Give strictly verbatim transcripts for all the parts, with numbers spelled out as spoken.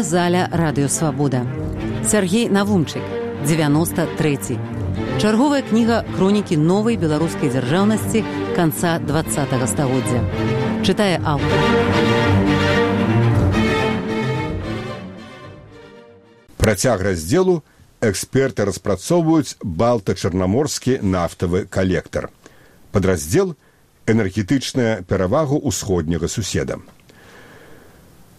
аўдыёзаля «Радыёсвабода». Сяргей Навумчык, дзевяносто трэці. Чарговая кніга хронікі новай беларускай дзяржаўнасці канца двадцатага стагоддзя. Чытае аўтар. Працяг раздзелу эксперты распрацоўваюць балта-чарнаморскі нафтавы калектар. Падраздзел «Энергетычная перавага ўсходняга суседа».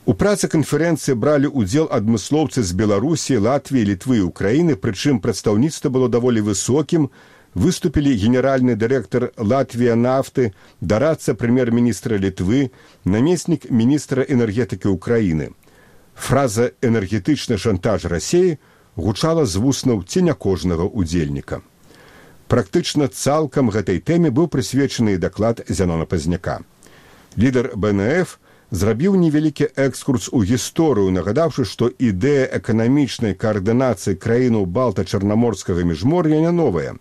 У працы канферэнцыі бралі ўдзел адмыслоўцы з Беларусі, Латвіі, Літвы і Украіны, прычым прадстаўніцтва было даволі высокім, выступілі генеральны дырэктар Латвія нафты, дарадца прэм'ер-міністра Літвы, намеснік міністра энергетыкі Украіны. Фраза «энергетычны шантаж Расіі» гучала з вуснаў ці не кожнага ўдзельніка. Практычна цалкам гэтай тэме быў прысвечаны даклад Зянона Пазняка. Лідар бэ эн эф зрабіў невялікі экскурс у гісторыю, нагадаўшы, што ідэя эканамічнай каардынацыі краінаў балта-чарнаморскага міжмор'я не новая.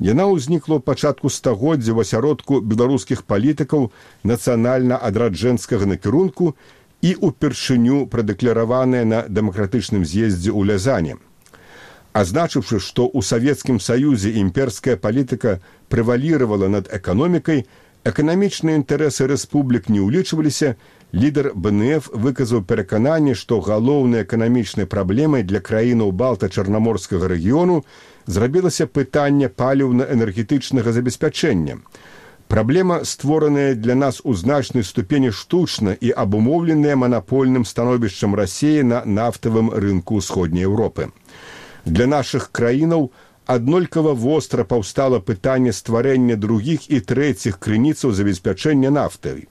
Яна ўзнікла ў пачатку стагоддзя ў асяродку беларускіх палітыкаў нацыянальна-адраджэнскага накірунку і ўпершыню прадэклараваная на дэмакратычным з'ездзе ў Лязане. Азначыўшы, што ў Савецкім Саюзе імперская палітыка прэваліравала над эканомікай, эканамічныя інтарэсы рэспублік не ўлічваліся, лідар бэ эн эф выказаў перакананне, што галоўнай эканамічнай праблемай для краінаў балта-чарнаморскага рэгіёну зрабілася пытанне паліўна-энергетычнага забеспячэння. Праблема, створаная для нас у значнай ступені штучна і абумоўленая манапольным становішчам Расіі на нафтавым рынку ўсходняй Еўропы. Для нашых краінаў аднолькава востра паўстала пытанне стварэння другіх і трэціх крыніцаў забеспячэння нафтай.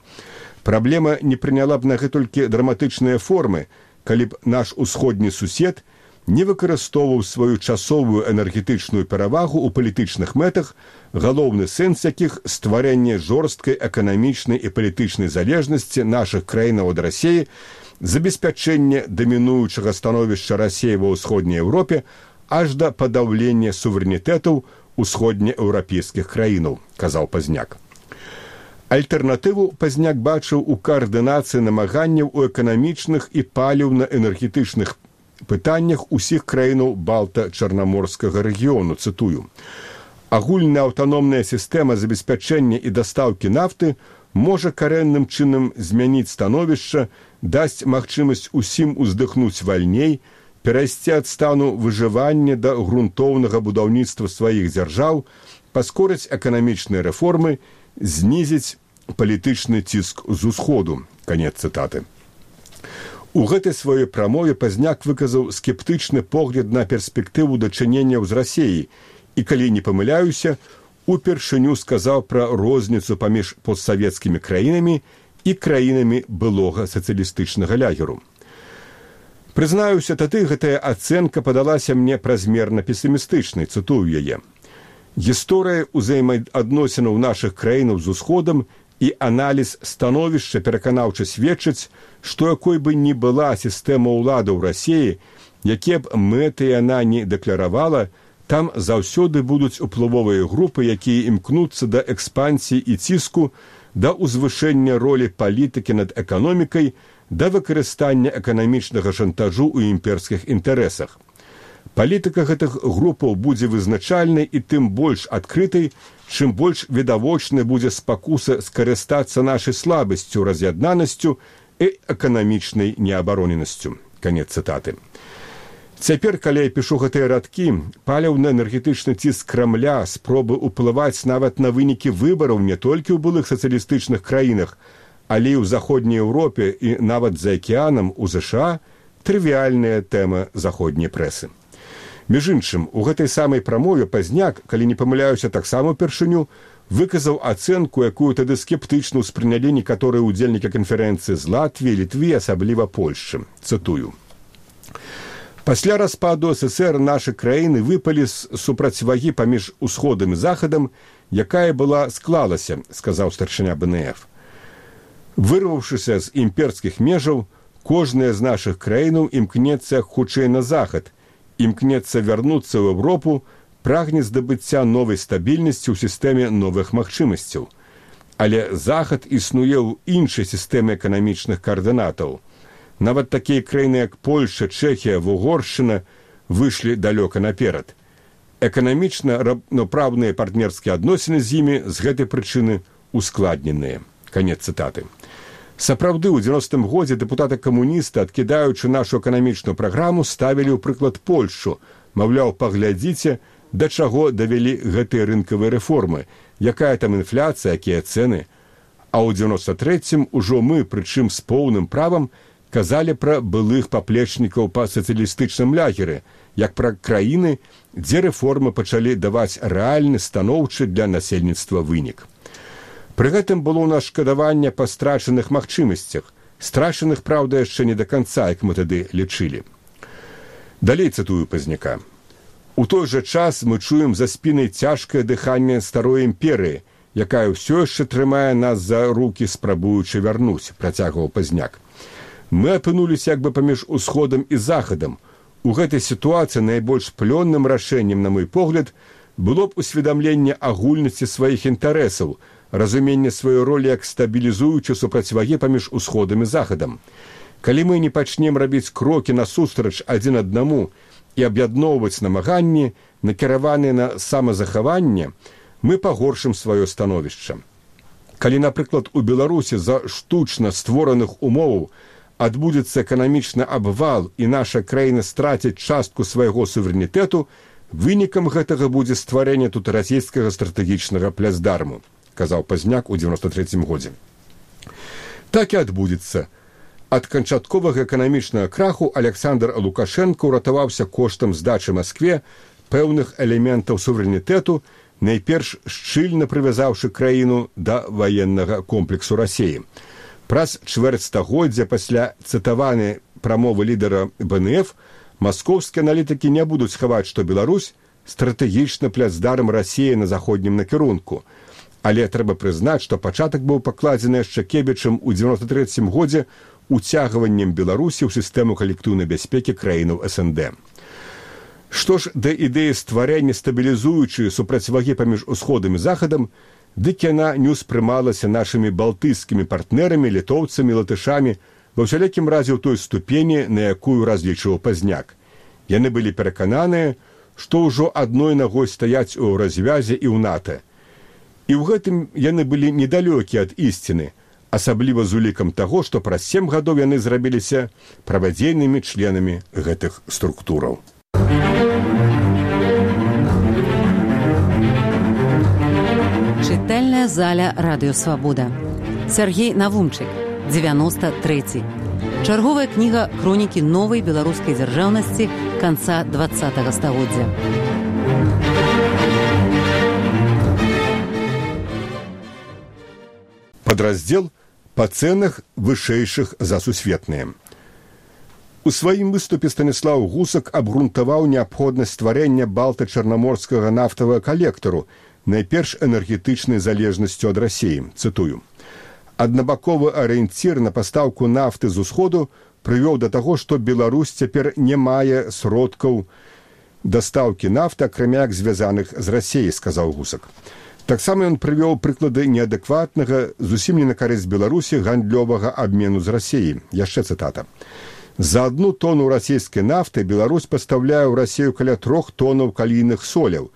Праблема не прыняла б на гэтулькі драматычныя формы, калі б наш усходні сусед не выкарыстоўваў сваю часовую энергетычную перавагу ў палітычных мэтах, галоўны сэнс якіх стварэнне жорсткай эканамічнай і палітычнай залежнасці нашых краінаў ад Расіі, забеспячэнне дамінуючага становішча Расіі ва ўсходняй Еўропе, аж да падаўлення суверэнітэтаў усходнееўрапейскіх краінаў, казаў Пазняк. Альтэрнатыву Пазняк бачыў у каардынацыі намаганняў у эканамічных і паліўна-энергетычных пытаннях усіх краінаў балта-чарнаморскага рэгіёну, цытую. Агульная аўтаномная сістэма забеспячэння і дастаўкі нафты можа карэнным чынам змяніць становішча, дасць магчымасць усім уздыхнуць вальней, перайсці ад стану выжывання да грунтоўнага будаўніцтва сваіх дзяржаў, паскорыць эканамічныя рэформы, знізіць палітычны ціск з усходу. Канец цытаты. У гэтай сваёй прамове Пазняк выказаў скептычны погляд на перспектыву дачыненняў з Расіяй і, калі не памыляюся, упершыню сказаў пра розніцу паміж постсавецкімі краінамі і краінамі былога сацыялістычнага лягеру. Прызнаюся, тады гэтая ацэнка падалася мне празмерна песімістычнай, цытую яе. Гісторыя ўзаемаадносінаў нашых краінаў з усходам і аналіз становішча пераканаўча сведчыць, што якой бы ні была сістэма ўлады ў Расіі, якія б мэты яна не дэкларавала, там заўсёды будуць уплывовыя групы, якія імкнуцца да экспансіі і ціску, да ўзвышэння ролі палітыкі над эканомікай, да выкарыстання эканамічнага шантажу ў імперскіх інтарэсах. Палітыка гэтых групаў будзе вызначальнай і тым больш адкрытай, чым больш відавочнай будзе спакуса скарыстацца нашай слабасцю, раз'яднанасцю і эканамічнай неабароненасцю. Канец цытаты. Цяпер, калі я пішу гэтыя радкі, паліўна-энергетычны ціск Крамля, спробы ўплываць нават на вынікі выбараў не толькі ў былых сацыялістычных краінах, але і ў заходняй Еўропе і нават за акіянам у ЗША трывіальная тэма заходняй прэсы. Між іншым, у гэтай самай прамове Пазняк, калі не памыляюся, таксама ўпершыню, выказаў ацэнку, якую тады скептычна ўспрынялі некаторыя ўдзельнікі канферэнцыі з Латвіі, Літвы, асабліва Польшчы. Цытую. Пасля распаду ССР нашы краіны выпалі з супрацьвагі паміж усходам і захадам, якая была склалася, сказаў старшыня бэ эн эф. Вырваўшыся з імперскіх межаў, кожная з нашых краінаў імкнецца хутчэй на захад, імкнецца вярнуцца ў Еўропу, прагне здабыцця новай стабільнасці ў сістэме новых магчымасцяў. Але захад існуе ў іншай сістэме эканамічных каардынатаў. Нават такія краіны, як Польша, Чэхія, Угоршчына выйшлі далёка наперад. Эканамічна раўнапраўныя партнерскія адносіны з імі з гэтай прычыны ускладненыя. Канец цытаты. Сапраўды, у дзевяностым годзе дэпутаты-камуністы, адкідаючы нашу эканамічную праграму, ставілі ў прыклад Польшу. Маўляў, паглядзіце, да чаго давялі гэтыя рынкавыя рэформы, якая там інфляцыя, якія цэны. А ў дзевяноста трэцім ужо мы, прычым з поўным правам, казалі пра былых паплечнікаў па сацыялістычным лагеры, як пра краіны, дзе рэформы пачалі даваць рэальны, станоўчы для насельніцтва вынік. Пры гэтым было ў нас шкадаванне па страчаных магчымасцях, страчаных, праўда, яшчэ не да канца, як мы тады лічылі. Далей цытую Пазняка. У той жа час мы чуем за спінай цяжкае дыханне старой імперыі, якая ўсё яшчэ трымае нас за рукі, спрабуючы вярнуць, працягваў Пазняк. Мы апынуліся як бы паміж усходам і захадам. У гэтай сітуацыі найбольш плённым рашэннем, на мой погляд, было б усведамленне агульнасці сваіх інтарэсаў, разуменне сваёй ролі як стабілізуючай супрацьвагі паміж усходам і захадам. Калі мы не пачнем рабіць крокі насустрач адзін аднаму і аб'ядноўваць намаганні, накіраваныя на самазахаванне, мы пагоршым сваё становішча. Калі, напрыклад, у Беларусі за штучна створаных умоваў адбудзецца эканамічны абвал і наша краіна страціць частку свайго суверэнітэту, вынікам гэтага будзе стварэнне тут расійскага стратэгічнага плацдарму, казаў Пазняк у дзевяноста трэцім годзе. Так і адбудзецца. Ад канчатковага эканамічнага краху Александр Лукашенко ўратаваўся коштам здачы Маскве пэўных элементаў суверэнітэту, найперш шчыльна прывязаўшы краіну да ваеннага комплексу Расіі. Праз чвэрць стагоддзя пасля цытаванай прамовы лідара бэ эн эф маскоўскія аналітыкі не будуць хаваць, што Беларусь стратэгічны плацдарм Расіі на заходнім накірунку. Але трэба прызнаць, што пачатак быў пакладзены яшчэ Кебічам у дзевяноста трэцім годзе уцягваннем Беларусі ў сістэму калектыўнай бяспекі краінаў эс эн дэ. Што ж да ідэі стварэння стабілізуючай супрацьвагі паміж усходам і захадам, дык яна не ўспрымалася нашымі балтыйскімі партнерамі, літоўцамі, латышамі, ва ўсялякім разе ў той ступені, на якую разлічваў Пазняк. Яны былі перакананыя, што ўжо адной нагой стаяць у развязе і ў НАТО. І ў гэтым яны былі недалёкі ад ісціны, асабліва з улікам таго, што праз сем гадоў яны зрабіліся правадзейнымі членамі гэтых структураў. Чытальная заля Радыё Свабода. Сяргей Навумчык, дзевяноста трэці. Чарговая кніга хронікі новай беларускай дзяржаўнасці канца дваццатага стагоддзя. Падраздзел па цэнах вышэйшых за сусветныя. У сваім выступе Станіслаў Гусак абгрунтаваў неабходнасць стварэння балта-чарнаморскага нафтавага калектару, найперш энергетычнай залежнасцю ад Расіі. Цытую. Аднабаковы арыенцір на пастаўку нафты з усходу прывёў да таго, што Беларусь цяпер не мае сродкаў дастаўкі нафты, акрамя як звязаных з Расіяй, сказаў Гусак. Таксама ён прывёў прыклады неадэкватнага, зусім не на карысць Беларусі, гандлёвага абмену з Расіяй. Яшчэ цытата. За одну тону расійскай нафты Беларусь пастаўляе ў Расію каля трох тонаў калійных соляў,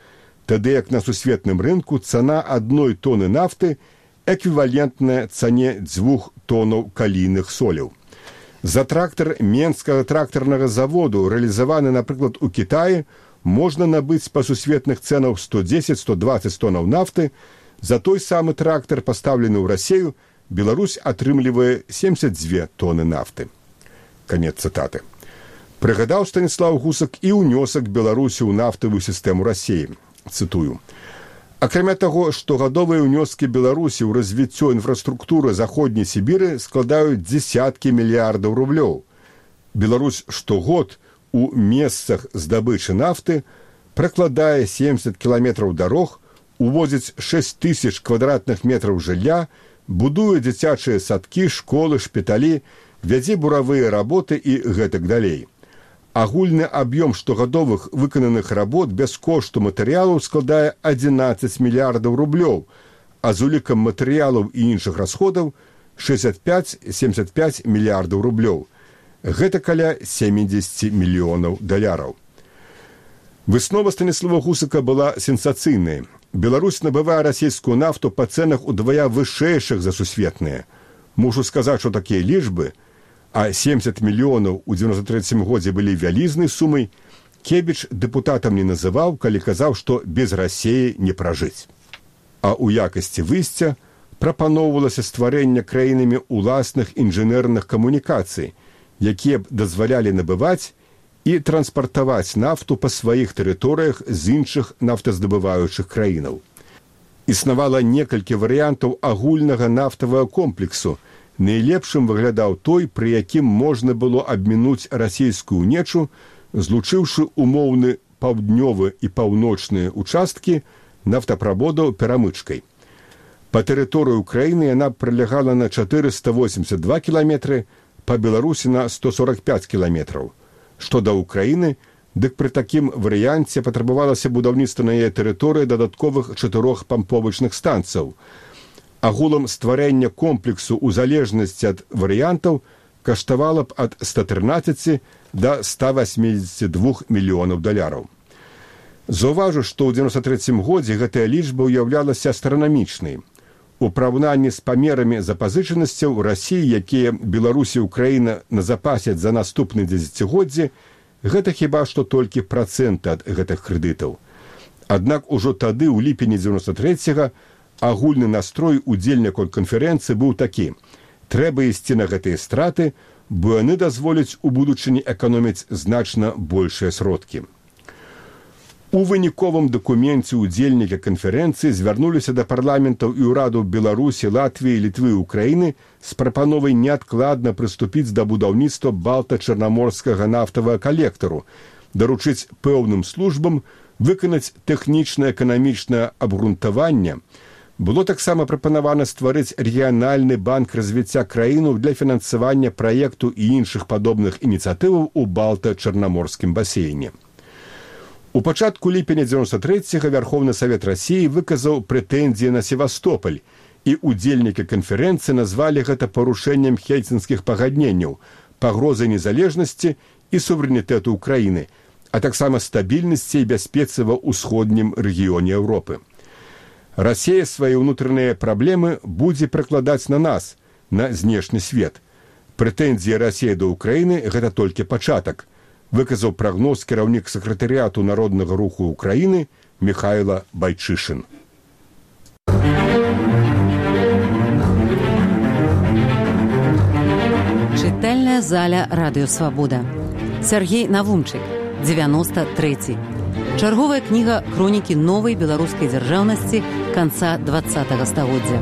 тады як на сусветным рынку цана адной тоны нафты эквівалентная цане дзвюх тонаў калійных соляў. За трактар Менскага трактарнага заводу, рэалізаваны, напрыклад, у Кітаі, можна набыць па сусветных цэнах сто дзесяць - сто дваццаць тонаў нафты, за той самы трактар, пастаўлены ў Расію, Беларусь атрымлівае семьдесят две тоны нафты. Канец цытаты. Прыгадаў Станіслаў Гусак і ўнёсак Беларусі ў нафтавую сістэму Расіі. Цытую. Акрамя таго, штогадовыя ўнёскі Беларусі ў развіццё інфраструктуры заходняй Сібіры складаюць дзесяткі мільярдаў рублёў. Беларусь штогод у месцах здабычы нафты пракладае семьдесят кіламетраў дарог, увозіць шэсць тысяч квадратных метраў жылля, будуе дзіцячыя садкі, школы, шпіталі, вядзе буравыя работы і гэтак далей. Агульны аб'ём штогадовых выкананых работ без кошту матэрыялаў складае адзінаццаць мільярдаў рублёў, а з улікам матэрыялаў і іншых расходаў шэсцьдзесят пяць - семьдесят пяць мільярдаў рублёў. Гэта каля сямдзесят мільёнаў даляраў. Выснова Станіслава Гусака была сенсацыйнай. Беларусь набывае расійскую нафту па цэнах удвая вышэйшых за сусветныя. Мушу сказаць, што такія лічбы, а семьдесят мільёнаў у девяносто третьем годзе былі вялізнай сумай, Кебіч дэпутатам не называў, калі казаў, што без Расіі не пражыць. А ў якасці выйсця прапаноўвалася стварэнне краінамі уласных інжынерных камунікацый, якія б дазвалялі набываць і транспартаваць нафту па сваіх тэрыторыях з іншых нафтаздабываючых краінаў. Існавала некалькі варыянтаў агульнага нафтавага комплексу. Найлепшым выглядаў той, пры якім можна было абмінуць расійскую нечу, злучыўшы умоўны паўднёвы і паўночныя участкі нафтаправодаў перамычкай. Па тэрыторыі Украіны яна прылягала на чатырыста восемьдесят два кіламетры, па Беларусі на сто сорок пять кіламетраў. Што да Украіны, дык пры такім варыянце патрабавалася будаўніцтва на яе тэрыторыі дадатковых чатырох памповачных станцыяў. Агулам стварэння комплексу ў залежнасці ад варыянтаў каштавала б ад ста трынаццаці да ста восьмідзесяці двух мільёнаў даляраў. Заўважу, што ў девяносто третьем годзе гэтая лічба ўяўлялася астранамічнай. У параўнанні з памерамі запазычанасцяў Расіі, якія Беларусь і Украіна назапасяць за наступны дзесяцігоддзі, гэта хіба што толькі працэнты ад гэтых крэдытаў. Аднак ужо тады, у ліпені девяносто третьего, агульны настрой удзельнікаў канферэнцыі быў такі: трэба ісці на гэтыя страты, бо яны дазволяць у будучыні эканоміць значна большыя сродкі. У выніковым дакуменце удзельнікі канферэнцыі звярнуліся да парламентаў і ўрадаў Беларусі, Латвіі, Літвы і Украіны з прапановай неадкладна прыступіць да будаўніцтва балта-чарнаморскага нафтавага калектару, даручыць пэўным службам выканаць тэхнічна-эканамічнае абгрунтаванне. Было таксама прапанавана стварыць рэгіянальны банк развіцця краіну для фінансавання праекту і іншых падобных ініцыятываў у балта-чарнаморскім басейне. У пачатку ліпеня девяносто третьего Вярховны Савет Расіі выказаў прэтэнзіі на Севастополь, і удзельнікі канферэнцыі назвалі гэта парушэннем хельсінскіх пагадненняў, пагрозай незалежнасці і суверэнітэту Украіны, а таксама стабільнасці і бяспецы ва ўсходнім рэгіёне Еўропы. Расія свае ўнутраныя праблемы будзе прыкладаць на нас, на знешні свет. Прэтэнзіі Расіі да Украіны – гэта толькі пачатак, выказаў прагноз кіраўнік сакратарыяту Народнага руху Украіны Михайло Байчышин. Чытальная заля Радыё Свабода. Сергей Навумчык, девяносто третий. Чарговая кніга хронікі новай беларускай дзяржаўнасці канца двадцатага стагоддзя.